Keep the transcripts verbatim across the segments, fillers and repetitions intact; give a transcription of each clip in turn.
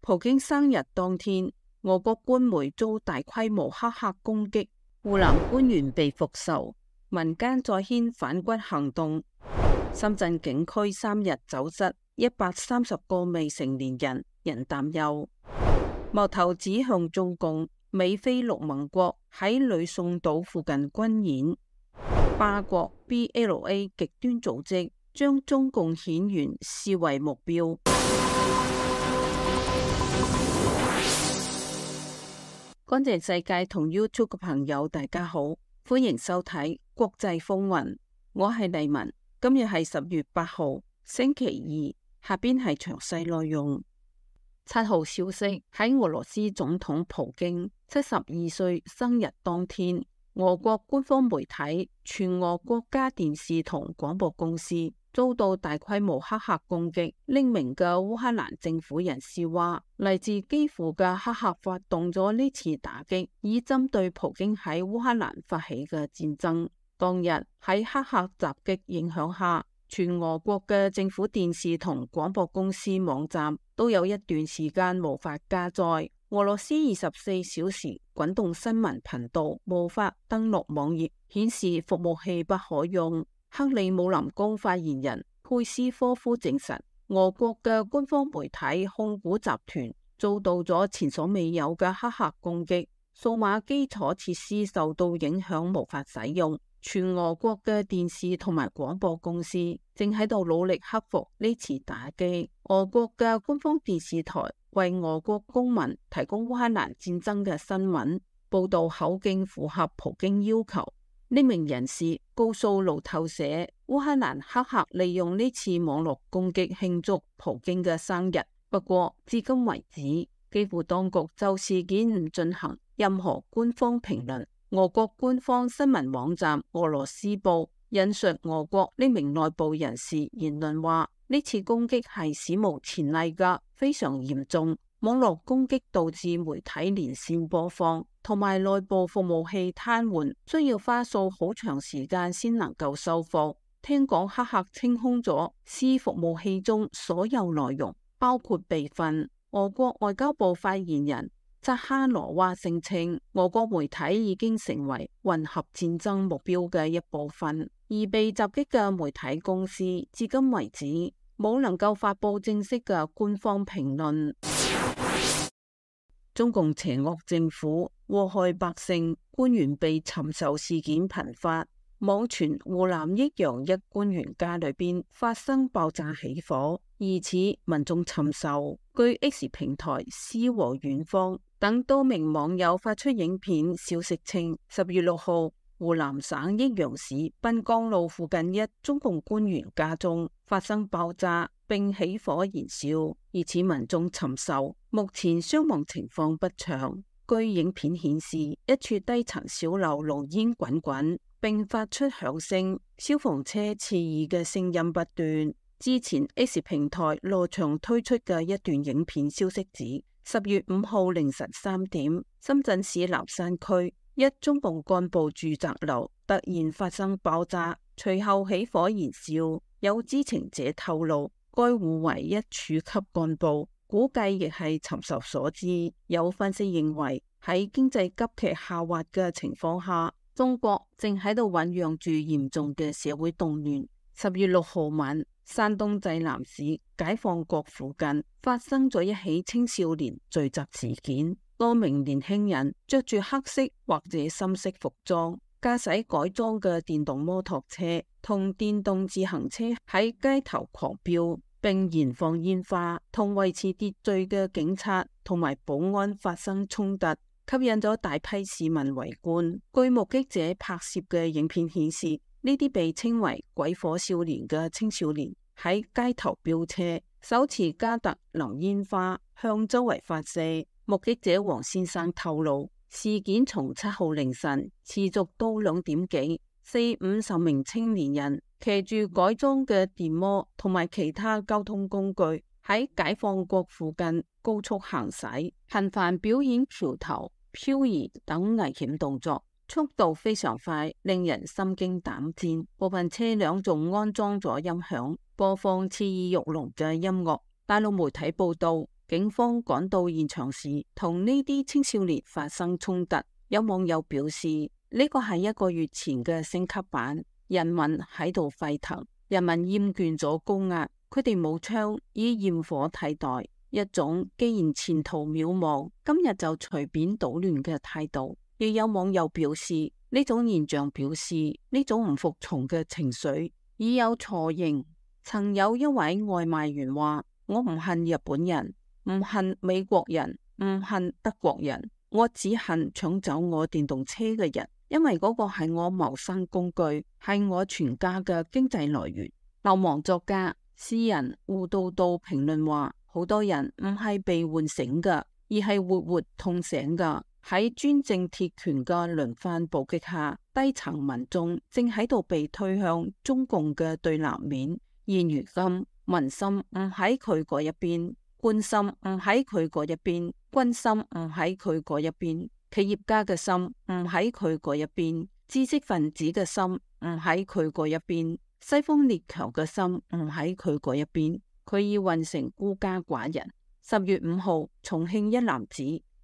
普京生日當天，俄國官媒遭大規模黑客攻擊，湖南官員被復仇，民間再掀反骨行動。深圳警區三日走失一百三十個未成年人，人擔憂。矛頭指向中共，美菲六盟國喺呂宋島附近軍演。巴國 B L A 極端組織將中共顯員視為目標。乾淨世界同 YouTube 嘅朋友大家好，歡迎收睇國際風雲，我係麗文。今日係十月八號星期二，下邊係詳細內容。七號消息，喺俄羅斯總統普京七十二歲生日當天，俄國官方媒體全俄國家電視同廣播公司遭到大規模黑客攻擊。匿名嘅烏克蘭政府人士話，嚟自基輔嘅黑客發動咗呢次打擊，以針對普京喺烏克蘭發起嘅戰爭。當日喺黑客襲擊影響下，全俄國嘅政府電視同廣播公司網站都有一段時間無法加載。俄羅斯二十四小時滾動新聞頻道無法登錄網頁，顯示服務器不可用。克里姆林宮發言人佩斯科夫證實，俄國嘅官方媒體控股集團遭到咗前所未有嘅黑客攻擊，數碼基礎設施受到影響無法使用。全俄國嘅電視同埋廣播公司正喺度努力克服呢次打擊。俄國嘅官方電視台為俄國公民提供烏克蘭戰爭嘅新聞報道，口徑符合普京要求。呢名人士告訴路透社，烏克蘭黑客利用呢次網絡攻擊慶祝普京嘅生日。不過至今為止，基輔當局就事件唔進行任何官方評論。俄國官方新聞網站俄羅斯報引述俄國呢名內部人士言論話，呢次攻擊係史無前例噶，非常嚴重。網絡攻擊導致媒體連線播放同埋內部服務器癱瘓，需要花數好長時間先能夠修復。聽講黑客清空咗 C 服務器中所有內容，包括備份。俄國外交部發言人扎哈羅娃聲稱，俄國媒體已經成為混合戰爭目標嘅一部分，而被襲擊嘅媒體公司至今為止冇能夠發佈正式嘅官方評論。中共邪惡政府禍害百姓，官員被尋仇事件頻發。網傳湖南益陽一官員家裏邊發生爆炸起火，疑似民眾尋仇。據 X 平台、詩和遠方等多名網友發出影片消息稱，十月六號湖南省益陽市濱江路附近一中共官員家中發生爆炸並起火燃燒，疑似民眾尋仇。目前傷亡情況不詳。據影片顯示，一處低層小樓濃煙滾滾，並發出響聲，消防車刺耳嘅聲音不斷。之前 X 平台羅翔推出嘅一段影片消息指，十月五號凌晨三點，深圳市南山區一中共幹部住宅樓突然發生爆炸，隨後起火燃燒。有知情者透露，該戶為一處級幹部，估計亦係尋仇所致。有分析認為，喺經濟急劇下滑嘅情況下，中國正喺度醞釀住嚴重嘅社會動亂。十月六號晚，山東濟南市解放國附近發生咗一起青少年聚集事件，多名年輕人着住黑色或者深色服裝，駕駛改裝嘅電動摩托車同電動自行車喺街頭狂飆，並燃放煙花，同維持秩序嘅警察同埋保安發生衝突，吸引咗大批市民圍觀。據目擊者拍攝嘅影片顯示，呢啲被稱為鬼火少年嘅青少年喺街頭飆車，手持加特林煙花向周圍發射。目擊者黃先生透露，事件從七號凌晨持續到兩點幾，四五十名青年人騎住改裝嘅電摩同埋其他交通工具喺解放國附近高速行駛，頻繁表演橋頭、漂移等危險動作，速度非常快，令人心驚膽戰。部分車輛仲安裝咗音響，播放刺耳欲聾嘅音樂。大陸媒體報道，警方趕到現場時，同呢啲青少年發生衝突。有網友表示，呢個係一個月前嘅升級版，人民喺度沸騰，人民厭倦咗高壓，佢哋冇槍，以焰火替代，一種既然前途渺茫，今日就隨便搗亂嘅態度。亦有網友表示，呢種現象表示呢種唔服從嘅情緒已有雛形。曾有一位外賣員話：我唔恨日本人，唔恨美國人，唔恨德國人，我只恨搶走我電動車嘅人，因為嗰個係我謀生工具，係我全家嘅經濟來源。流亡作家詩人胡道道評論話：好多人唔係被喚醒嘅，而係活活痛醒嘅。喺專政鐵權嘅輪番暴擊下，低層民眾正喺度被推向中共嘅對立面。現如今，民心唔喺佢嗰一邊，官心唔喺佢嗰一邊，軍心唔喺佢嗰一邊，企業家嘅心唔喺佢嗰一邊，知識分子嘅心唔喺佢嗰一邊，西方列強嘅心唔喺佢嗰一邊。佢已混成孤家寡人。十月五號，重慶一男子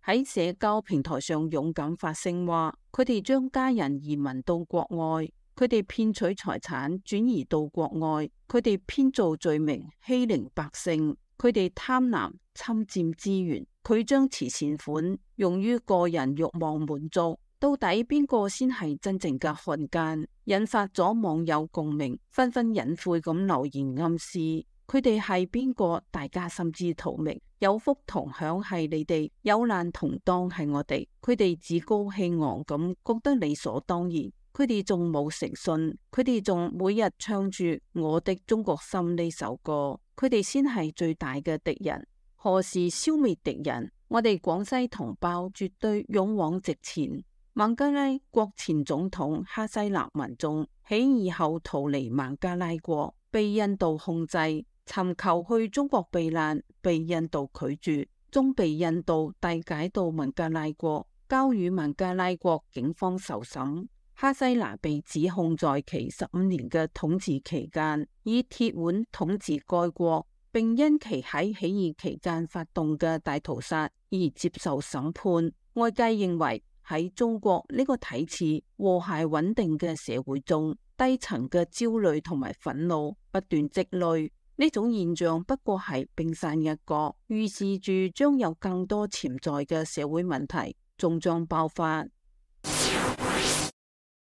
喺社交平台上勇敢發聲話，佢哋將家人移民到國外，佢哋騙取財產轉移到國外，佢哋編造罪名欺凌百姓，佢哋貪婪侵佔資源，佢將慈善款用於個人欲望滿足。到底邊個先係真正嘅漢奸？引發咗網友共鳴，紛紛隱晦咁留言暗示佢哋係邊個，大家心知肚明。有福同享係你哋，有難同當係我哋。佢哋趾高氣昂咁覺得理所當然，佢哋仲冇誠信，佢哋仲每日唱住我的中國心呢首歌，佢哋先係最大嘅敵人。何時消滅敵人？我哋廣西同胞絕對勇往直前。孟加拉國前總統哈西娜民眾起義後逃離孟加拉國，被印度控制，尋求去中國避難，被印度拒絕，終被印度遞解到孟加拉國，交予孟加拉國警方受審。哈西娜被指控在其十五年嘅統治期間，以鐵腕統治該國，並因其喺起義期間發動嘅大屠殺而接受審判。外界認為喺中國呢個睇似和諧穩定嘅社會中，低層嘅焦慮同埋憤怒不斷積累。呢種現象不過係冰山一角，預示住將有更多潛在嘅社會問題終將爆發。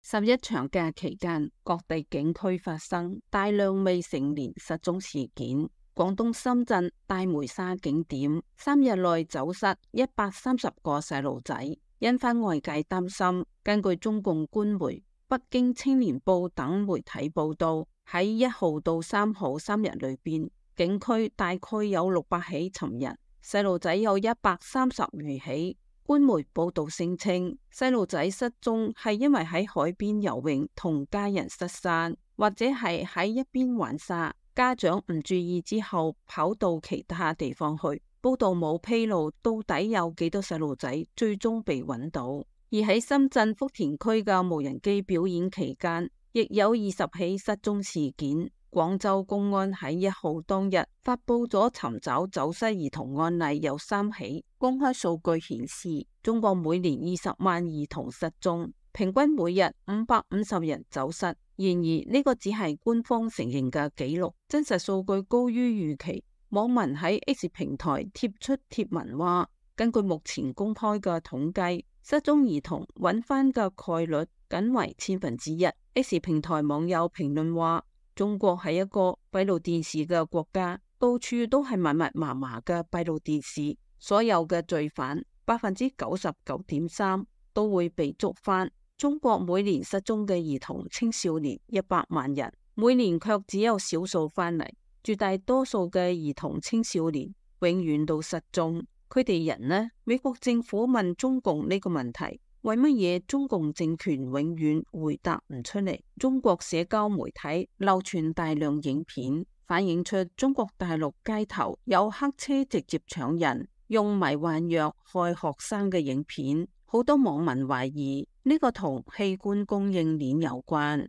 十一長假期間，各地景區發生大量未成年失蹤事件。廣東深圳大梅沙景點三日內走失一百三十個細路仔，引發外界擔心。根據中共官媒、北京青年報等媒體報道，喺一號到三號三日裏邊，景區大概有六百起尋人，細路仔有一百三十餘起。官媒報道聲稱，細路仔失蹤係因為喺海邊游泳同家人失散，或者係喺一邊玩沙，家長唔注意之後跑到其他地方去。報道冇披露到底有幾多細路仔最終被揾到。而喺深圳福田區嘅無人機表演期間，亦有二十起失蹤事件。廣州公安喺一號當日發佈咗尋找走失兒童案例有三起。公開數據顯示，中國每年二十萬兒童失蹤，平均每日五百五十人走失。然而呢個只係官方承認嘅紀錄，真實數據高於預期。網民喺 X 平台貼出貼文話，根據目前公開嘅統計，失蹤兒童揾翻嘅概率僅為千分之一。X 平台網友評論話，中國係一個閉路電視嘅國家，到處都係密密麻麻嘅閉路電視，所有嘅罪犯百分之九十九點三都會被捉翻。中國每年失蹤嘅兒童青少年一百萬人，每年卻只有少數翻嚟，絕大多數嘅兒童青少年永遠都失蹤。佢哋人呢？美國政府問中共呢個問題，為乜嘢中共政權永遠回答唔出嚟？中國社交媒體流傳大量影片，反映出中國大陸街頭有黑車直接搶人、用迷幻藥害學生嘅影片。好多網民懷疑呢個同器官供應鏈有關。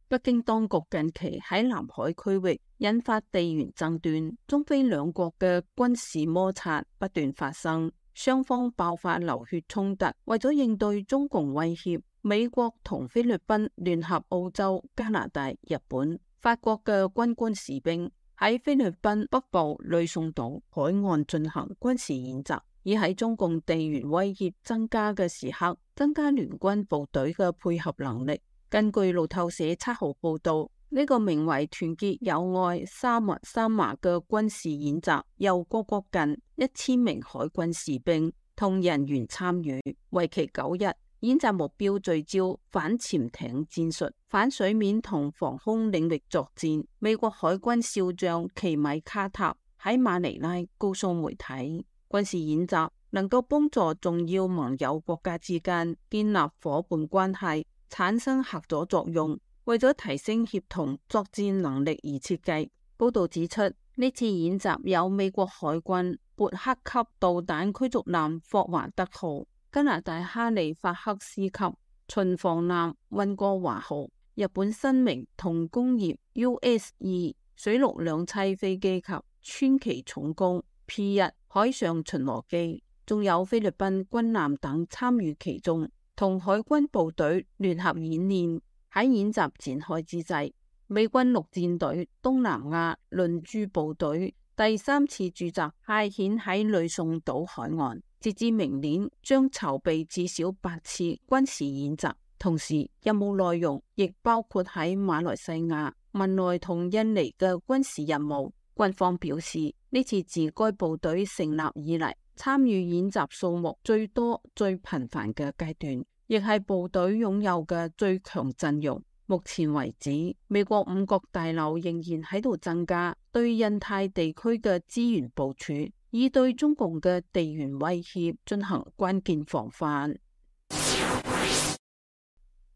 北京當局近期喺南海區域引發地緣爭端，中非兩國嘅軍事摩擦不斷發生，雙方爆發流血衝突。為咗應對中共威脅，美國同菲律賓聯合澳洲、加拿大、日本、法國嘅軍官士兵喺菲律賓北部呂宋島海岸進行軍事演習，以喺中共地緣威脅增加嘅時刻，增加聯軍部隊嘅配合能力。根據路透社七號報道，呢、這個名為團結友愛三華三華嘅軍事演習，由各國近一千名海軍士兵同人員參與，為期九日。演習目標聚焦反潛艇戰術、反水面同防空領域作戰。美國海軍少將奇米卡塔喺馬尼拉告訴媒體，軍事演習能夠幫助重要盟友國家之間建立夥伴關係，產生合作作用，為咗提升協同作戰能力而設計。報道指出，呢次演習有美國海軍勃克級導彈驅逐艦霍華德號、加拿大哈利法克斯級巡防艦溫哥華號、日本新明同工業 U S 二水陸兩棲飛機及川崎重工 P 一海上巡邏機，仲有菲律賓軍艦等參與其中，同海軍部隊聯合演練。喺演習展開之際，美軍陸戰隊東南亞輪駐部隊第三次駐紮派遣喺呂宋島海岸，截至明年將籌備至少八次軍事演習。同時，任務內容亦包括喺馬來西亞、文萊同印尼嘅軍事任務。軍方表示，呢次自該部隊成立以嚟參與演習數目最多、最頻繁嘅階段，亦係部隊擁有嘅最強陣容。目前為止，美國五角大樓仍然喺度增加對印太地區嘅資源部署，以對中共嘅地緣威脅進行關鍵防範。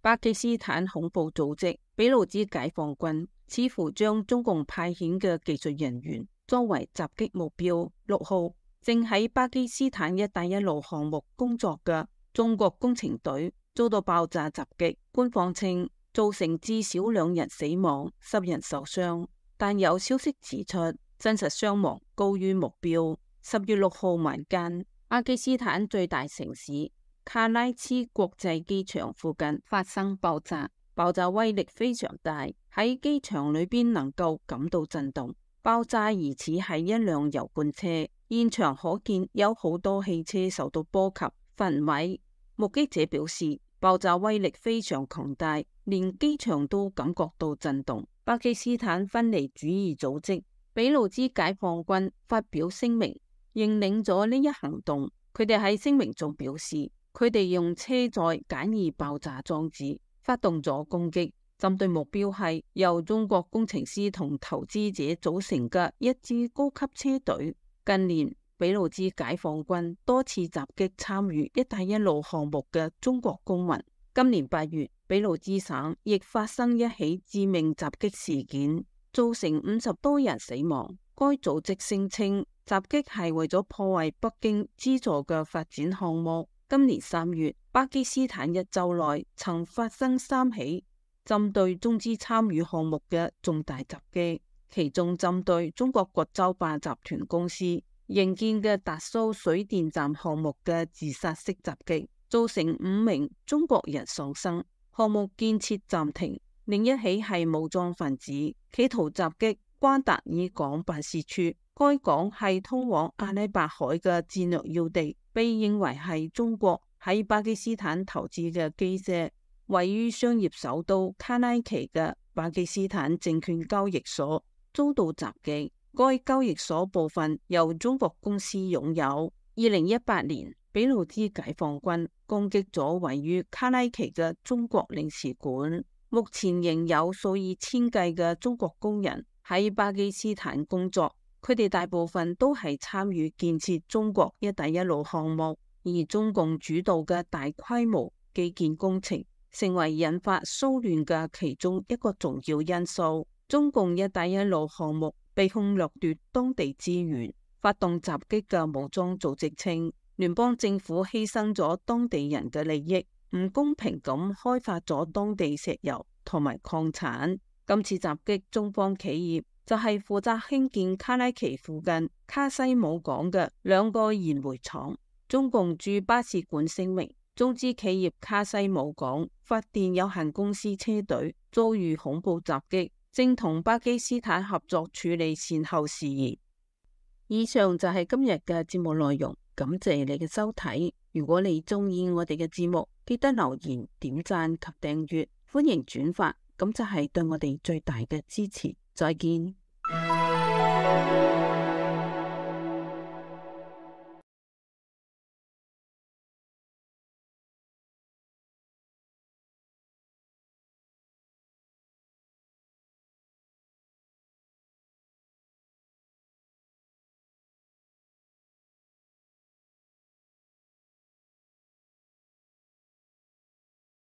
巴基斯坦恐怖組織俾路支解放軍似乎將中共派遣嘅技術人員作為襲擊目標。六號，正喺巴基斯坦一帶一路項目工作嘅中國工程隊遭到爆炸襲擊，官方稱造成至少兩人死亡、十人受傷，但有消息指出真實傷亡高於目標。十月六號晚間，巴基斯坦最大城市卡拉茨國際機場附近發生爆炸，爆炸威力非常大，喺機場裏邊能夠感到震動。爆炸疑似係一輛油罐車，現場可見有好多汽車受到波及焚毀。目擊者表示，爆炸威力非常強大，連機場都感覺到震動。巴基斯坦分離主義組織俾路支解放軍發表聲明，認領咗呢一行動。佢哋喺聲明中表示，佢哋用車載簡易爆炸裝置發動咗攻擊，針對目標係由中國工程師同投資者組成嘅一支高級車隊。近年，俾路支解放軍多次襲擊參與一帶一路項目嘅中國公民。今年八月，俾路支省亦發生一起致命襲擊事件，造成五十多人死亡。該組織聲稱襲擊係為咗破壞北京資助嘅發展項目。今年三月，巴基斯坦一周內曾發生三起針對中資參與項目嘅重大襲擊，其中針對中國國洲壩集團公司營建嘅達蘇水電站項目嘅自殺式襲擊，造成五名中國人喪生，項目建設暫停。另一起係武裝分子企圖襲擊瓜達爾港辦事處，該港係通往阿拉伯海嘅戰略要地，被認為係中國喺巴基斯坦投資嘅基石。位於商業首都卡拉奇嘅巴基斯坦證券交易所遭到襲擊，該交易所部分由中國公司擁有。二零一八年，俾路支解放軍攻擊咗位於卡拉奇嘅中國領事館。目前仍有數以千計嘅中國工人喺巴基斯坦工作，佢哋大部分都係參與建設中國一帶一路項目，而中共主導嘅大規模基建工程成為引發騷亂嘅其中一個重要因素。中共一帶一路項目被控掠奪當地資源、發動襲擊嘅武裝組織稱，聯邦政府犧牲咗當地人嘅利益，唔公平咁開發咗當地石油同埋礦產。今次襲擊中方企業就係負責興建卡拉奇附近卡西姆港嘅兩個燃煤廠。中共駐巴士館聲明，中資企業卡西姆港發電有限公司車隊遭遇恐怖襲擊，正同巴基斯坦合作處理善後事宜。以上就係今日嘅節目內容，感謝你嘅收睇。如果你中意我哋嘅節目，記得留言、點讚及訂閱，歡迎轉發，咁就係對我哋最大嘅支持。再見。